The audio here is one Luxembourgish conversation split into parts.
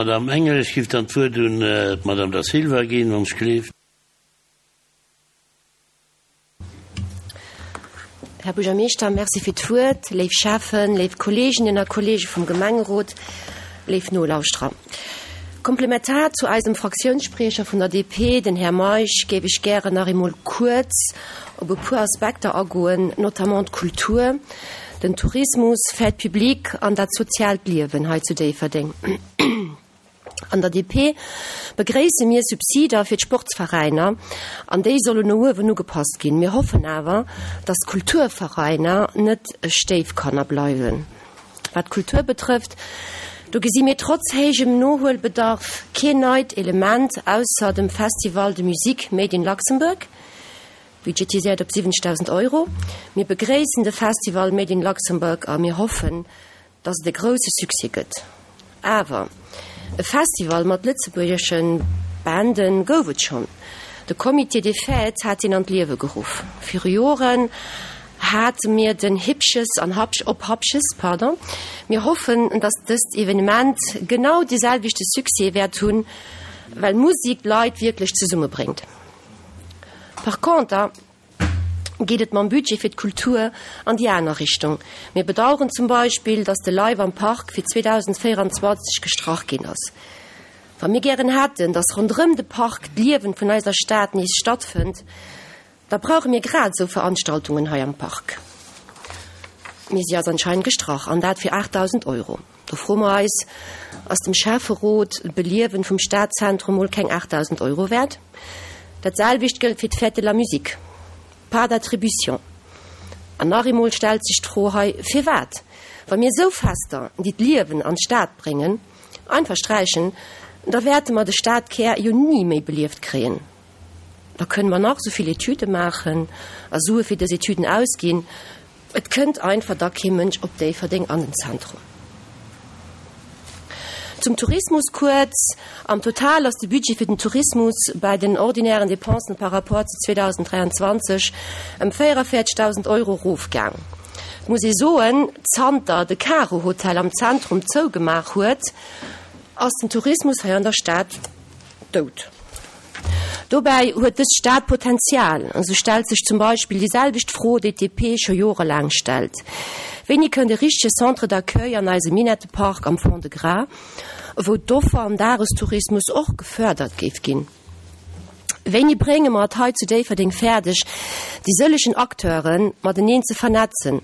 Madame Engel. Ech giff dann d'Wuert un d'Madame Da Silva ginn, wann ech gleeft. Här Buergermeeschter, Merci fir d'Wuert. Léif Schäffen, léif Kolleeginnen a Kolleege vum Gemengerot, léif Nolauschterer. Komplementar zu eisem Fraktiounsspriecher vun der DP, den Här Meisch, géif ech gären nach eemol kuerz op e puer Aspekter agoen, notamment d'Kultur, den Tourismus, Fête publique an dat soziaalt Liewen hei zu Déifferdeng. An der DP begréisse mir Subsider fir d'Sportsveräiner an déi sollen no uewen ugepasst ginn. Mir hoffen awer, dass d'Kulturveräiner net Stéifkanner bleiwen. Wat d'Kultur betrëfft, do gesi mir trotz héijem Nohuelbedarf keen neit Element ausser dem Festival de Musique Made in Luxembourg, budgetiséiert op 70.000 Euro. Mir begréissen de Festival Made in Luxembourg a mir hoffen, dass et e grousse Succès gëtt. Awer e Festival mat lëtzebuergesche Bande gouf et schonn. De Comité des Fêtes hat deen an d'Liewe geruff. Viru Joren hate mir den Hippches an Hapsch op Hapches, pardon. Mir hoffen, dass dëst Evenement genau dee selwechte Succès wäert hunn, well Musik d'Leit wierklech zesummebréngt. Par conter geet et mam Budget fir d'Kultur an déi aner Richtung. Mir bedauern zum Beispill, dass de Live am Park fir 2024 gestrach ginn ass. Wa mir gären hätten, dass ronderëm de Park d'Liewen vun eiser Stad nees stattfënnt, da brauche mir grad esou Veranstaltungen hei am Park. Mee si ass anscheinend gestrach, an dat fir 8.000 Euro. Do froe mer eis, Ass dem Schäfferot d'Beliewen vum Stadzentrum mol keng 8.000 Euro wäert? Dat selwecht gëllt fir d'Fête de la Musique. Pas d'attribution. An nach eemol stellt sech d'Fro hei, Firwat, wa mir esou Fester, déi d'Liewen an d'Stad bréngen, einfach sträichen, da wäerte mer de Stadkär jo ni méi belieft kréien. Da kënne mer nach esou vill Etüde maachen a Sue fir dës Etüden ausginn, et kënnt einfach da kee Mënsch op Déifferdeng an den Zentrum. Zum Tourismus kuerz, Am Total ass de Budget fir den Tourismus bäi den ordinären Dépensen par rapport zu 2023 ëm 44.000 Euro erofgaang. Et muss ee soen, zanter de Karo-Hotel am Zentrum zougemaach huet, ass den Tourismus hei an der Stad dout. Dobäi huet dës Stad Potenzial. Esou stellt sech zum Beispill déi selwecht Fro, déi d'DP scho jorelaang stellt, Wéini kënnt e richtege Centre d'accueil an eise Minettepark am Fond-de-Gras, wou d'Offer am Dagestourismus och gefördert géif ginn? Wéini brénge mer et hei zu Déifferdeng fäerdeg, déi sëllegen Acteure mateneen ze vernetzen,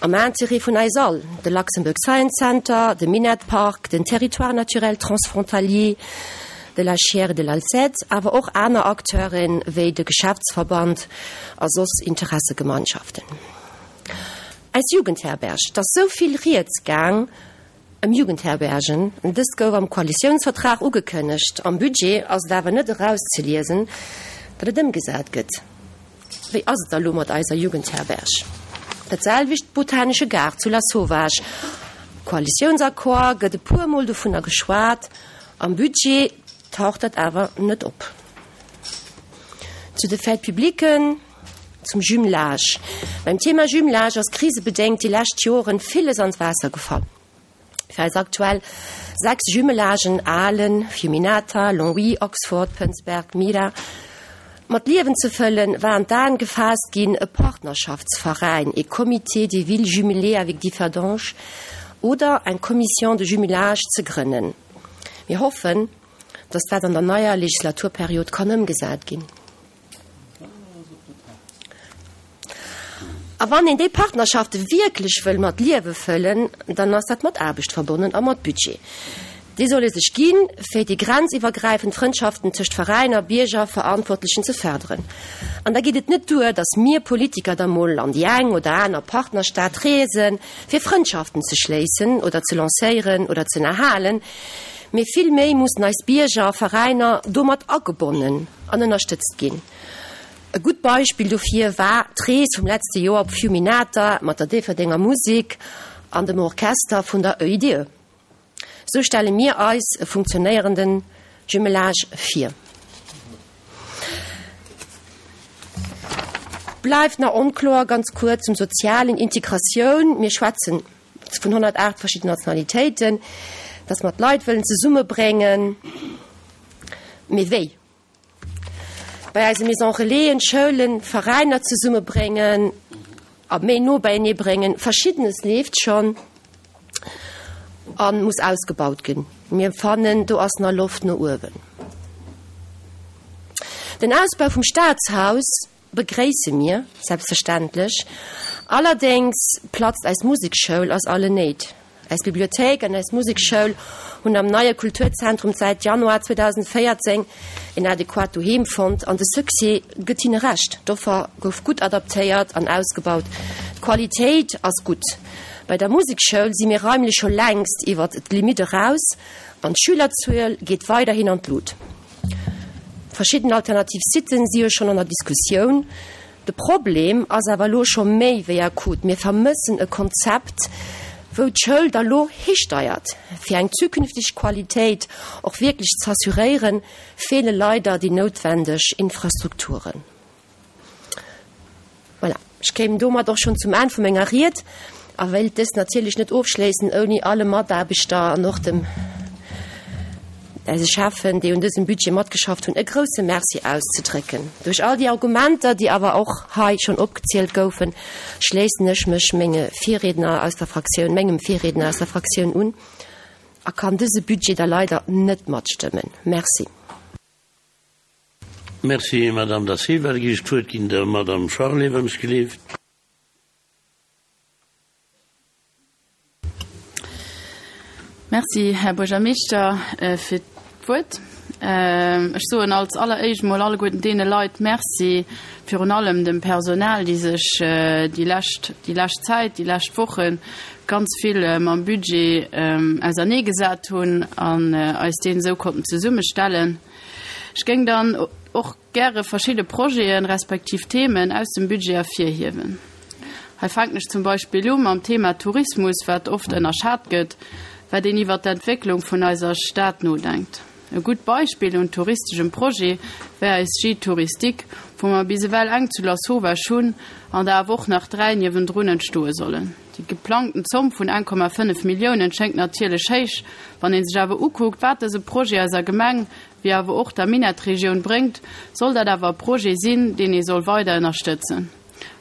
am Intérêt vun eis all, de Luxembourg Science Center, de Minett Park, den Territoire naturel transfrontalier de la Chiers et de l'Alzette, awer och aner Acteuren, wéi de Geschäftsverband a soss Interessegemeinschaften. Eis Jugendherberg, 't ass sou vill Rieds gaang ëm Jugendherbergen. Dëst gouf am Koalitiounsvertrag ugekënnegt, am Budget ass et awer net erauszeliesen, datt et ëmgesat gëtt. Wéi ass et da lo mat eiser Jugendherberg? Dat selwecht Botanesche Gaart zu Lasauvage. Koalitiounsaccord gëtt e puer mol dovunner geschwat, am Budget taucht dat awer net op. Zu de Fêtes publiquen, zum Jumelage. Beim Thema Jumelage ass krisebedéngt déi lescht Joren villes an d'Waasser gefall. Fir eis aktuell 6 Jumelagen, Ahlen, Fiuminata, Longwy, Oxford, Pënsberg, Mira, mat Liewen ze fëllen, war an d'Aen gefaasst ginn, e Partnerschaftsveräin, ee Comité des villes jumelées avec Differdange oder eng Commission de jumelage ze grënnen. Mir hoffen, dass dat an der neier Legislaturperiod kann ëmgesat ginn. A wann een déi Partnerschafte wierklech wëll mat Liewe fëllen, dann ass dat mat Aarbecht verbonnen a mat Budget. Dee soll ee sech ginn, fir déi grenziwwergräifend Frëndschaften tëscht Veräiner, Bierger, Verantwortlechen ze fërderen. An da geet et net duer, datt mir Politiker da mol an déi eng oder aner Partnerstad reesen, fir Frëndschaften ze schléissen oder ze lancéieren oder ze ënnerhalen, mee vill méi mussen eis Bierger a Veräiner domat agebonnen an ënnerstëtzt ginn. E gutt Beispill dofir war d'Rees vum letzte Joer op Fiuminata mat der Déifferdenger Musek an dem Orchester vun der EIDE. Sou stelle mir eis e funktionéierende Jumelage vir. Bleift nach onkloer, ganz kuerz zum Sozialen, Integratioun, Mir schwätzen vun 108 verschidden Nationalitéiten. Dass mer d'Leit wëllen zesummebréngen. Mee wéi? Bei eise Maisons Relaisen, Schoulen, Veräiner zesummebréngen a méi no beienee bréngen. Verschiddenes leeft schonn a muss ausgebaut ginn. Mir fannen, do ass nach Loft no uewen. Den Ausbau vum Staatshaus Begréisse mir selbstverständlech. Allerdéngs platzt eis Musekschoul aus allen Néit. Eis Bibliothéik an eis Musekschoul hunn am neie Kulturzentrum säit Januar 2014 en adequat Doheem fonnt an de Succès gëtt hinne Recht. D'Offer gouf gutt adaptéiert an ausgebaut. D'Qualitéit ass gutt. Bei der Musekschoul si mir raimlech scho längst iwwert d'Limitt eraus an d'Schülerzuel geet weiderhin an d'Lut. Verschidden alternativ Siten si jo schonn an der Diskussioun. De Problem ass awer elo scho méi wéi akut. Mir vermëssen e Konzept, wou d'Schoul da lo histeiert. Fir eng zukünfteg Qualitéit och wierklech z'assuréieren, feele leider déi noutwendeg Infrastrukturen. Voilà, ech kéim domat och schonn zum Enn vu menger Ried a wéilt dës natierlech net ofschléissen, ouni alle Mataarbechter an och dem eise Cheffen, déi un dësem Budget matgeschafft hunn, e grouse Merci auszedrécken. Duerch all déi Argumenter, déi awer och hei schonn opgezielt goufen, schléissen ech mech menge Virriedner aus der Fraktioun, mengem Virriedner aus der Fraktioun un a kann dëse Budget da leider net matstëmmen. Merci. Merci, Madame Da Silva. Da ginn ech d'Wuert ginn der Madame Charlé, wann ech gleeft. Merci, Här Buergermeeschter, fir d'Wuert. Ech soen als alleréischt emol alleguerten deene Leit Merci, virun allem dem Personal, déi sech déi lescht, déi lescht Zäit, déi lescht Woche ganz vill mam Budget auserneegesat hunn an eis deen esou konnten zesummestellen. Ech géing dann och gäre verschidde Projeten, respektiv Themen aus dem Budget ervirhiewen. Hei fänken ech zum Beispill u mam Thema Tourismus, wat oft ënnerschat gëtt, wat een iwwert d'Entwécklung vun eiser Stad nodenkt. E gutt Beispill un touristeschem Projet wär eis Gîte touristique, wou mer bis ewell eng zu Lasauvage hunn an der awer och nach 3 niewendrun entstoe sollen. Déi geplangten Zomm vun 1,5 Milliounen schéngt natierlech héich. Wann ee sech awer ukuckt, wat dëse Projet eiser Gemeng, wéi awer och der Minettregioun bréngt, soll dat awer e Projet sinn, deen ee soll weider ënnerstëtzen.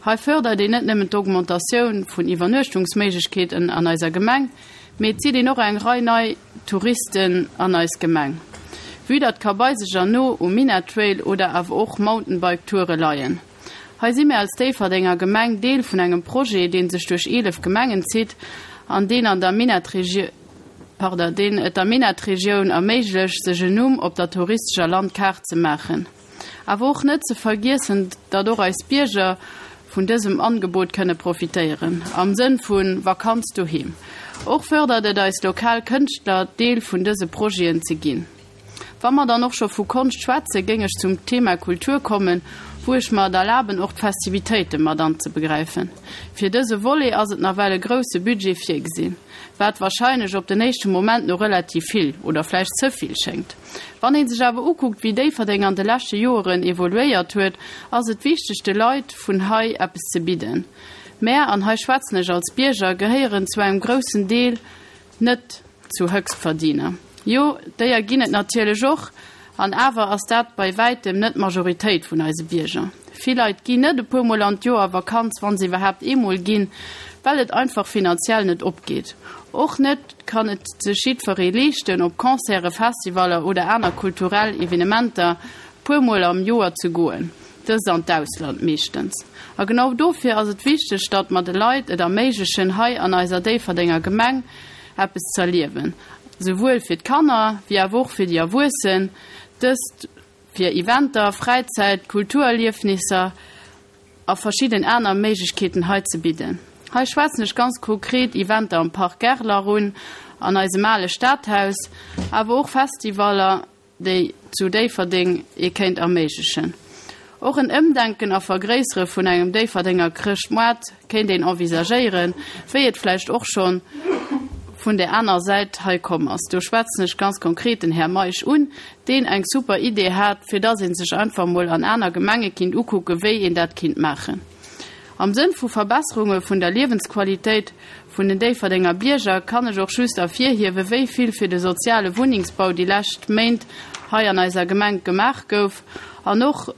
Hei fërdert een net nëmmen d'Augmentatioun vun Iwwernuechtungsméiglechkeeten an eiser Gemeng, mee et zitt een och eng Rei nei Touristen an eis Gemeng. Vue datt ka bei sech an no um Minett-Trail oder awer och Mountainbike-Toure leien. Hei si mir als Déifferdenger Gemeng Deel vun engem Projet, dee sech duerch 11 Gemengen zitt an deen an der Minettregioun, pardon, deen et der Minettregioun erméiglecht, sech en Numm op der touristescher Landkaart ze maachen. Awer och net ze vergiessen, datt och eis Bierger vun dësem Angebot kënne profitéieren, am Sënn vu Vakanz doheem. Och fërdert et eis lokal Kënschtler, Deel vun dëse Projeten ze ginn. Wa mer dann och scho vu Konscht schwätzen, géing ech zum Thema Kultur kommen, wou ech mer et erlaben, och d'Festivitéite mat anzebegräifen. Fir dëse Volet ass et nawell e grouse Budget virgesinn, wat wahrscheinlech op den éischte Moment no relativ vill oder vläicht ze vill schéngt. Wann ee sech awer ukuckt, wéi Déifferdeng an de leschte Joeren evoluéiert huet, ass et wichteg, de Leit vun hei eppes ze bidden. Mär, an hei schwätzen ech als Bierger, gehéieren zu engem groussen Deel net zu Höchstverdiener. Jo, déier ginn et natierlech och, an awer ass dat bei wäitem net d'Majoritéit vun eise Bierger. Vill Leit ginn net e puer Mol an d'Joer a Vakanz, wa se iwwerhaapt eemol ginn, well et einfach finanziell net opgeet. Och net kann et sech jiddweree leeschten, op Concerten, Festivaller oder aner kulturell Evenementer puer Mol am Joer ze goen, dëst an d'Ausland meeschtens. A genau dofir ass et wichteg, datt mer de Leit et erméiglechen, hei an eiser Déifferdenger Gemeng eppes z'erliewen, souwuel fir d'Kanner wéi awer och fir déi Erwuessen, dëst fir Eventer, Fräizäit, Kulturerliefnisser a verschidden aner Méiglechkeeten hei ze bidden. Hei schwätzen ech ganz konkret Eventer am Parc Gerlach un, an eisem ale Stadhaus, awer och Festivaller, déi zu Déifferdeng ee kéint erméiglechen. Och en Ëmdenken a Vergréissere vun engem Déifferdenger Chrëschtmoart kéint een envisagéieren, wéi et vläicht och schonn vun där aner Säit hei komm ass. Do schwätzen ech ganz konkret den Här Meisch un, deen eng super Idee hat, fir dass ee sech einfach emol an aner Gemenge kinnt ukucken, wéi een dat kinnt maachen. Am Sënn vu Verbesserunge vun der Liewensqualitéit vun den Déifferdenger Bierger kann ech och just ervirhiewe wéi vill fir de soziale Wunnengsbau déi lescht Méint hei an eiser Gemeng gemaach gouf an och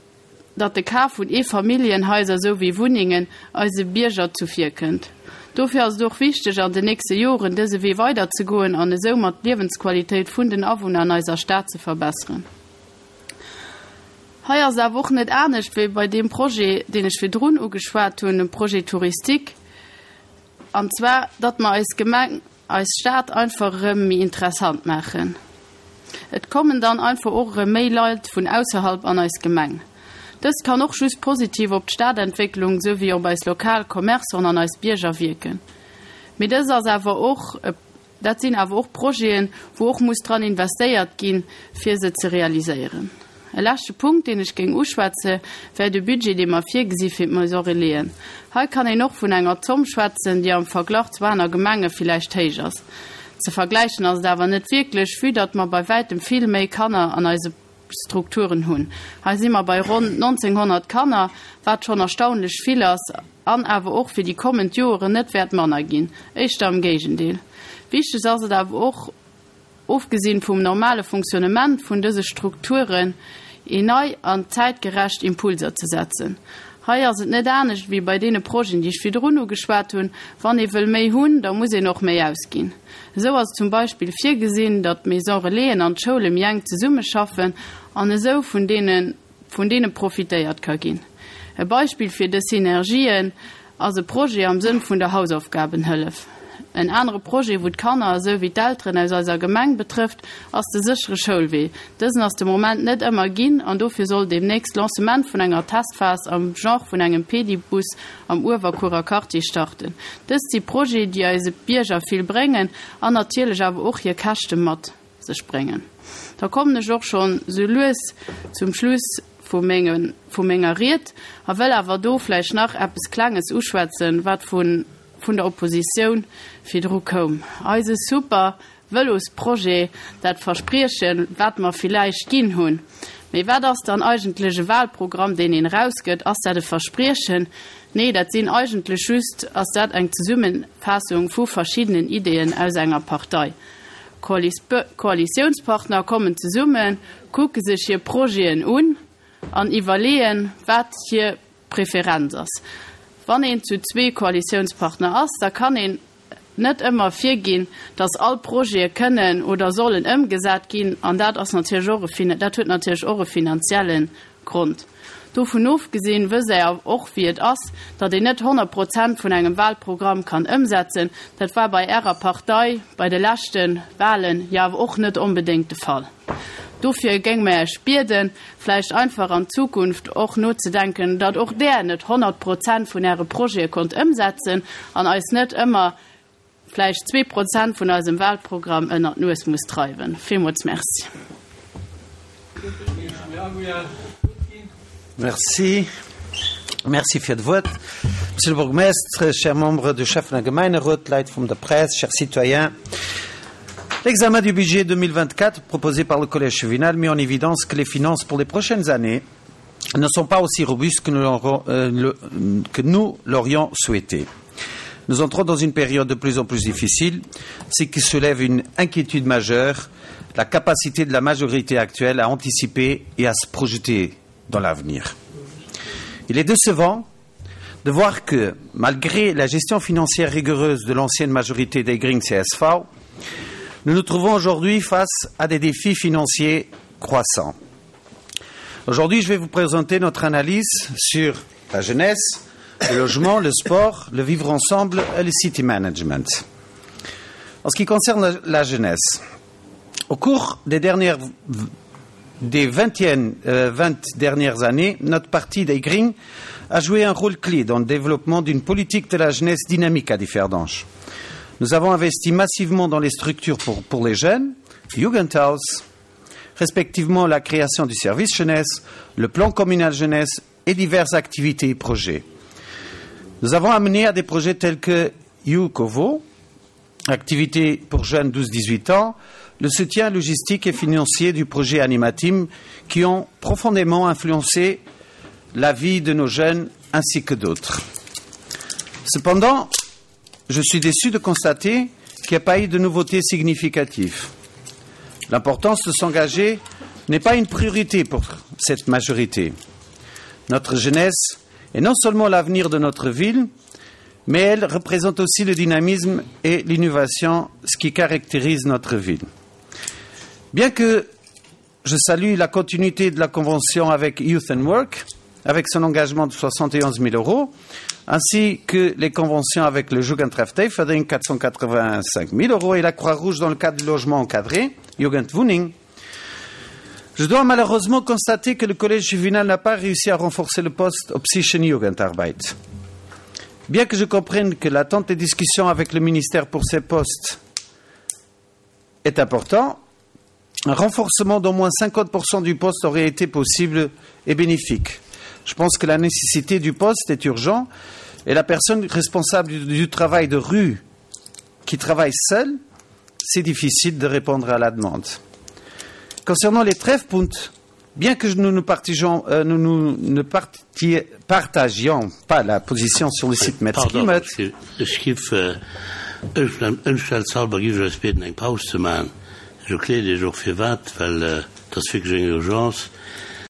datt de Kaf vun Eefamilljenhaiser souwéi Wunnengen eise Bierger zuvirkënnt. Dofir ass et och wichteg an den nächste Joren dëse Wee weiderzegoen an esou mat d'Liewensqualitéit vun den Awunner an eiser Stad ze verbesseren. Hei ass et awer och net anescht wéi bei deem Projet, deen ech virdrun ugeschwat hunn, dem Projet touristique, an zwar datt mer eis Gemeng, eis Stad einfach erëm méi interessant maachen. Et kommen dann einfach och erëm méi Leit vun ausserhalb an eis Gemeng. Dëst kann och just positiv op d'Stadentwécklung souwéi op eis lokal Commerçanten an eis Bierger wierken. Mee dëst ass awer och e. Dat sinn awer och Projeten, wou och muss dran investéiert ginn, fir se ze realiséieren. E leschte Punkt, deen ech géing uschwätze, wär de Budget, dee mer virgesi fir d'Maison Relaisen. Hei kann een och vun enger Zomm schwätzen, déi am Verglach zu aner Gemenge villäicht héich ass. Ze vergläichen ass et awer net wierklech, vue datt mer bei wäitem vill méi Kanner an eise Strukturen hunn. Hei si mer bei ronn 1.900 Kanner, wat schonn erstaunlech vill ass an awer och fir déi kommend Joeren net wäert manner ginn, éischter am Géigendeel. Wichteg ass et awer och, ofgesinn vum normale Fonctionnement vun dëse Strukturen, een nei an zäitgerecht Impulser ze setzen. Hei ass et net anescht wéi bei deene Projeten, déi ech virdrun ugeschwat hunn, Wann ee wëll méi hunn, da muss een och méi ausginn. Esou ass et zum Beispill virgesinn, datt d'Maison Relaisen an d'Schoule méi enk zesummeschaffen an esou vun deene vun deene profitéiert ka ginn. E Beispill fir dës Synergien ass e Projet am Sënn vun der Hausaufgabenhëllef. En anere Projet, wou d'Kanner esou wéi d'Elteren aus eiser Gemeng betrëfft, ass de séchere Schoulwee. Dësen ass de Moment net ëmmer ginn an dofir soll deemnächst d'Lancement vun enger Testphas am Genre vun engem Pedibus am Uewerkuerer Quartier starten. Dëst si Projete, déi eise Bierger vill bréngen an natierlech awer och hir Käschte mat sech bréngen. Da kommen ech och schonn sou lues zum Schluss vu menge vu menger Ried a wëll awer do vläicht nach eppes Klenges uschwätzen, wat vun vun der Oppositioun virdru koum. Eise super Vëlosprojet, dat Verspriechen, wat mer villäicht ginn hunn. Mee wat ass dann eigentlech e Wahlprogramm, deen een erausgëtt? Ass dat e Verspriechen? Nee, dat sinn eigentlech just, ass dat eng Zesummenfaassung vu verschiddenen Ideeën aus enger Partei. Koalitiounspartner kommen zesummen, kucke sech hir Projeten un an iwwerleeën, wat hir Preferenz ass. Wann een zu zwee Koalitiounspartner ass, da kann een net ëmmer virginn, datt all Projete kënnen oder sollen ëmgesat ginn, an dat ass natierlech och e, dat huet natierlech och e finanzielle Grond. Dovun ofgesinn wësst Der och wéi et ass, datt een net 100 Prozent vun engem Wahlprogramm kann ëmsetzen. Dat war bei Ärer Partei bei de leschte Wahlen jo awer och net onbedéngt de Fall. Dofir géinge mer Iech bieden, vläicht einfach an Zukunft och nozedenken, datt och Der net 100 Prozent vun Äre Projete konnt ëmsetzen an eis net ëmmer vläicht 2% vun eisem Wahlprogramm ënnert d'Nues muss dreiwen. Villmools Merci. Merci. Merci fir d'Wuert. Monsieur le bourgmestre, chers membres du Schäffen- a Gemeinerot, Leit vum der Press, chers citoyens, L'examen du budget 2024 proposé par le Collège chevinal met en évidence que les finances pour les prochaines années ne sont pas aussi robustes que nous euh, l'aurions souhaité. Nous entrons dans une période de plus en plus difficile, ce qui soulève une inquiétude majeure, la capacité de la majorité actuelle à anticiper et à se projeter dans l'avenir. Il est décevant de voir que, malgré la gestion financière rigoureuse de l'ancienne majorité des Green CSV, nous nous trouvons aujourd'hui face à des défis financiers croissants. Aujourd'hui, je vais vous présenter notre analyse sur la jeunesse, le logement, le sport, le vivre ensemble et le city management. En ce qui concerne la, la jeunesse, au cours des dernières des 20, euh, 20 dernières années, notre parti des Greens a joué un rôle clé dans le développement d'une politique de la jeunesse dynamique à Differdange. Nous avons investi massivement dans les structures pour, pour les jeunes, Jugendhaus, respectivement la création du service jeunesse, le plan communal jeunesse et diverses activités et projets. Nous avons amené à des projets tels que YouCovo, activité pour jeunes 12-18 ans, le soutien logistique et financier du projet Animateam qui ont profondément influencé la vie de nos jeunes ainsi que d'autres. Cependant, je suis déçu de constater qu'il n'y a pas eu de nouveautés significatives. L'importance de s'engager n'est pas une priorité pour cette majorité. Notre jeunesse est non seulement l'avenir de notre ville, mais elle représente aussi le dynamisme et l'innovation, ce qui caractérise notre ville. Bien que je salue la continuité de la convention avec Youth and Work, avec son engagement de 71 000 euros, ainsi que les conventions avec le Jugendtreff Teferding, 485 000 euros, et la Croix-Rouge dans le cadre du logement encadré, Jugendwohning. Je dois malheureusement constater que le collège juvénile n'a pas réussi à renforcer le poste au Psychen Jugendarbeit. Bien que je comprenne que l'attente des discussions avec le ministère pour ces postes est important, un renforcement d'au moins 50% du poste aurait été possible et bénéfique. Je pense que la nécessité du poste est urgente et la personne responsable du, du travail de rue qui travaille seule, c'est difficile de répondre à la demande. Concernant les trèfles bien que nous ne, partageons, euh, nous, nous ne parti, partagions pas la position sur le site Metzkimet. Ëmstellshalber gi ech eis bieden eng Paus ze maachen. Ech erkläert Iech och firwat, well et ass wierklech eng Urgence.